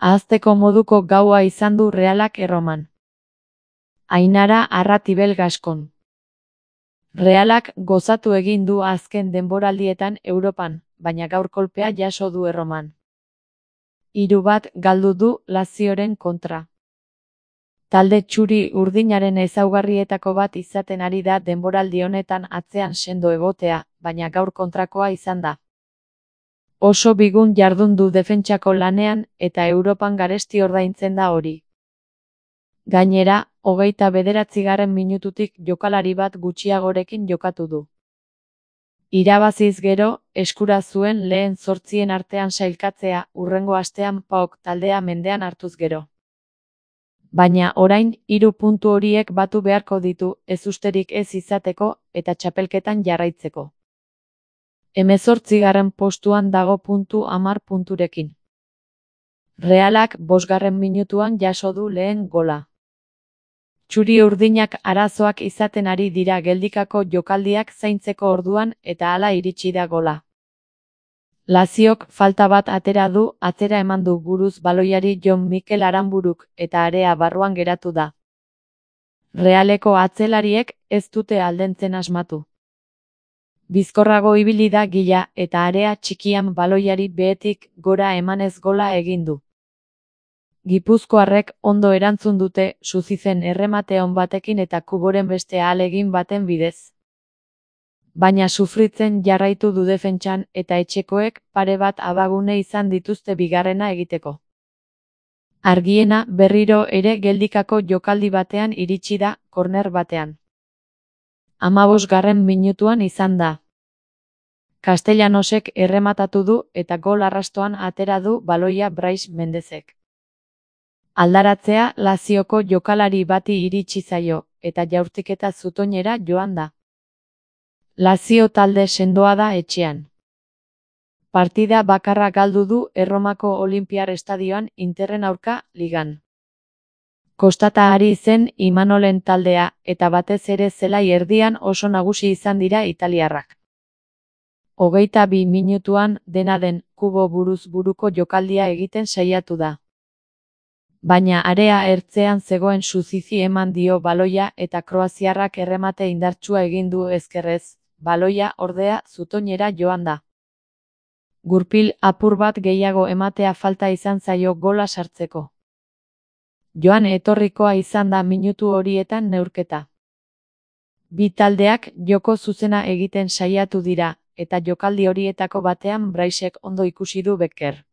Ahazteko moduko gaua izan du Realak Erroman. Ainara Arratibel Gaskon. Realak gozatu egin du azken denboraldietan Europan, baina gaur kolpea jaso du Erroman. 3-1 galdu du Lazioren kontra. Talde txuri-urdinaren ezaugarrietako bat izaten ari da denboraldi honetan atzean sendo egotea, baina gaur kontrakoa izan da. Oso bigun jardun du defentsako lanean eta Europan garesti ordaintzen da hori. Gainera, 29. minututik jokalari bat gutxiagorekin jokatu du. Irabaziz gero, eskura zuen lehen 8 artean sailkatzea hurrengo astean PAOK taldea mendean hartuz gero. Baina orain 3 puntu horiek batu beharko ditu ezusterik ez izateko eta txapelketan jarraitzeko. 18. postuan dago 10 punturekin. Realak 5. minutuan jaso du lehen gola. Txuri-urdinak arazoak izaten ari dira geldikako jokaldiak zaintzeko orduan eta hala iritsi da gola. Laziok falta bat atera du, atzera eman du buruz baloiari Jon Mikel Aranburuk eta area barruan geratu da. Realeko atzelariek ez dute aldentzen asmatu. Bizkorrago ibili da Gila eta area txikian baloiari behetik gora emanez gola egin du. Gipuzkoarrek ondo erantzun dute Suzizen erremate on batekin eta Kuboren beste ahalegin baten bidez. Baina sufritzen jarraitu du defentsan eta etxekoek pare bat abagune izan dituzte bigarrena egiteko. Argiena berriro ere geldikako jokaldi batean iritsi da, korner batean. 15. minutuan izan da. Castellanosek errematatu du eta gol arrastoan atera du baloia Brais Mendezek. Aldaratzea Lazioko jokalari bati iritsi zaio, eta jaurtiketa zutoinera joan da. Lazio talde sendoa da etxean. Partida bakarra galdu du Erromako Olinpiar Estadioan Interren aurka ligan. Kostata ari zen Imanolen taldea eta batez ere zelai erdian oso nagusi izan dira italiarrak. 22 minutuan dena den Kubo buruz buruko jokaldia egiten saiatu da. Baina area ertzean zegoen Suzizi eman dio baloia eta kroaziarrak erremate indartsua egin du ezkerrez, baloia ordea zutoinera joan da. Gurpil apur bat gehiago ematea falta izan zaio gola sartzeko. Joan etorrikoa izan da minutu horietan neurketa. Bi taldeak joko zuzena egiten saiatu dira, eta jokaldi horietako batean Braisek ondo ikusi du Becker.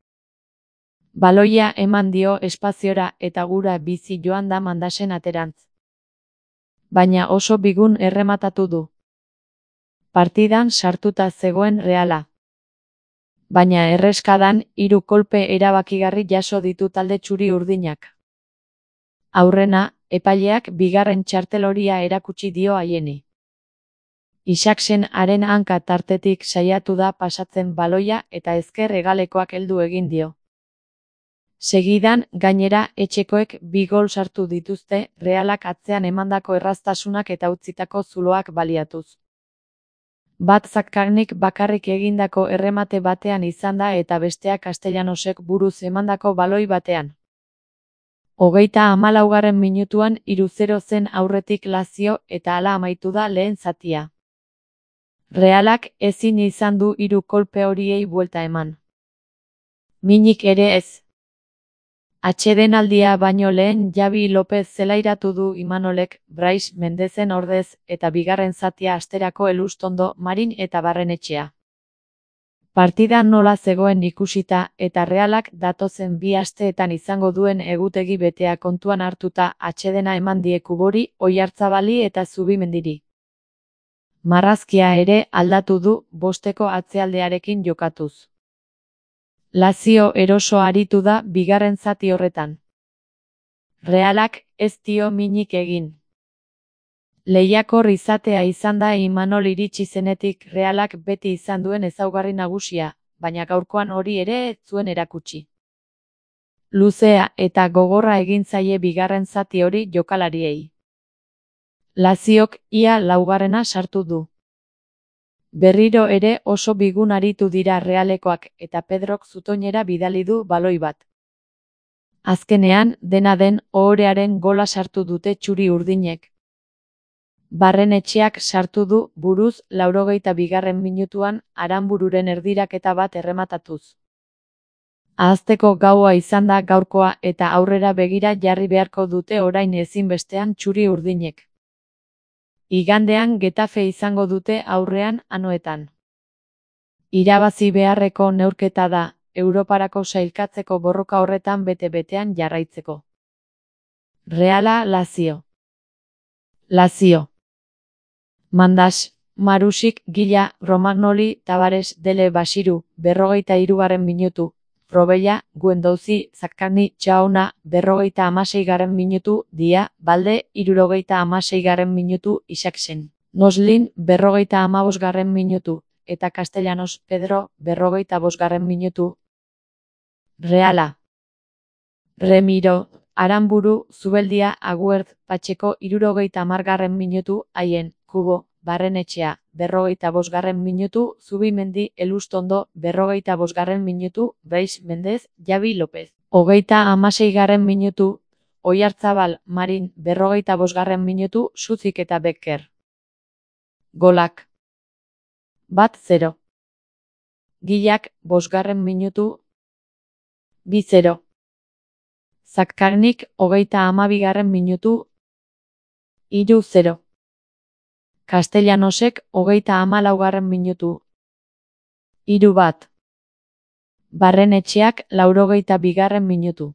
Baloia eman dio espaziora eta gura bizi joan da Mandasen aterantz. Baina oso bigun errematatu du. Partidan sartuta zegoen Reala. Baina erreskadan 3 kolpe erabakigarri jaso ditu talde txuri-urdinak. Aurrena, epaileak bigarren txarteloria erakutsi dio haieni. Isaksen haren hanka tartetik saiatu da pasatzen baloia eta ezker hegalekoak heldu egin dio. Segidan, gainera, etxekoek 2 gol sartu dituzte, Realak atzean emandako erraztasunak eta utzitako zuloak baliatuz. Bat Zakkarnik bakarrik egindako erremate batean izan da eta bestea Castellanosek buruz emandako baloi batean. 34. minutuan 3-0 zen aurretik Lazio eta hala amaitu da lehen zatia. Realak ezin izan du 3 kolpe horiei buelta eman. Minik ere ez. Atsedenaldia baino lehen Javi Lopez zelairatu du Imanolek, Brais Mendezen ordez eta bigarren zatia asterako Elustondo, Marin eta Barrenetxea. Partida nola zegoen ikusita eta Realak datozen 2 asteetan izango duen egutegi betea kontuan hartuta atsedena eman die Kubori, Oiartzabali eta Zubimendiri. Marrazkia ere aldatu du 5eko atzealdearekin jokatuz. Lazio eroso aritu da bigarren zati horretan. Realak ez dio minik egin. Lehiakor izatea izan da Imanol iritsi zenetik Realak beti izan duen ezaugarri nagusia, baina gaurkoan hori ere ez zuen erakutsi. Luzea eta gogorra egin zaie bigarren zati hori jokalariei. Laziok ia 4. sartu du. Berriro ere oso bigun aritu dira Realekoak eta Pedrok zutoinera bidali du baloi bat. Azkenean, dena den, ohorearen gola sartu dute txuri urdinek. Barrenetxeak sartu du buruz 82. minutuan Aranbururen erdiraketa bat errematatuz. Ahazteko gaua izan da gaurkoa eta aurrera begira jarri beharko dute orain ezinbestean txuri urdinek. Igandean Getafe izango dute aurrean Anoetan. Irabazi beharreko neurketa da, Europarako sailkatzeko borroka horretan bete-betean jarraitzeko. Reala Lazio. Lazio. Mandas, Marusik, Gila, Romagnoli, Tavares, Dele Basiru, 43. minutu, Probella, Guendouzi, Zaccagni, Txauna, 56. minutu, Dia, Balde, 76. minutu, Isaacsen, Noslin, 55. minutu, eta Castellanos, Pedro, 45. minutu. Reala. Remiro, Aranburu, Zubeldia, Aguert, Patxeko, 70. minutu, Haien, Kubo, Barrenetxea, 45. minutu, Zubimendi, Elustondo, 45. minutu, Brais Mendez, Javi López, 36. minutu, Oiartzabal, Marin, 45. minutu, Suzik eta Becker. Golak. 1-0. Gilak, 5. minutu, 2-0. Zaccagnik, 32. minutu, 3-0. Castellanosek, 34. minutu, 3-1. Barrenetxeak, 82. minutu.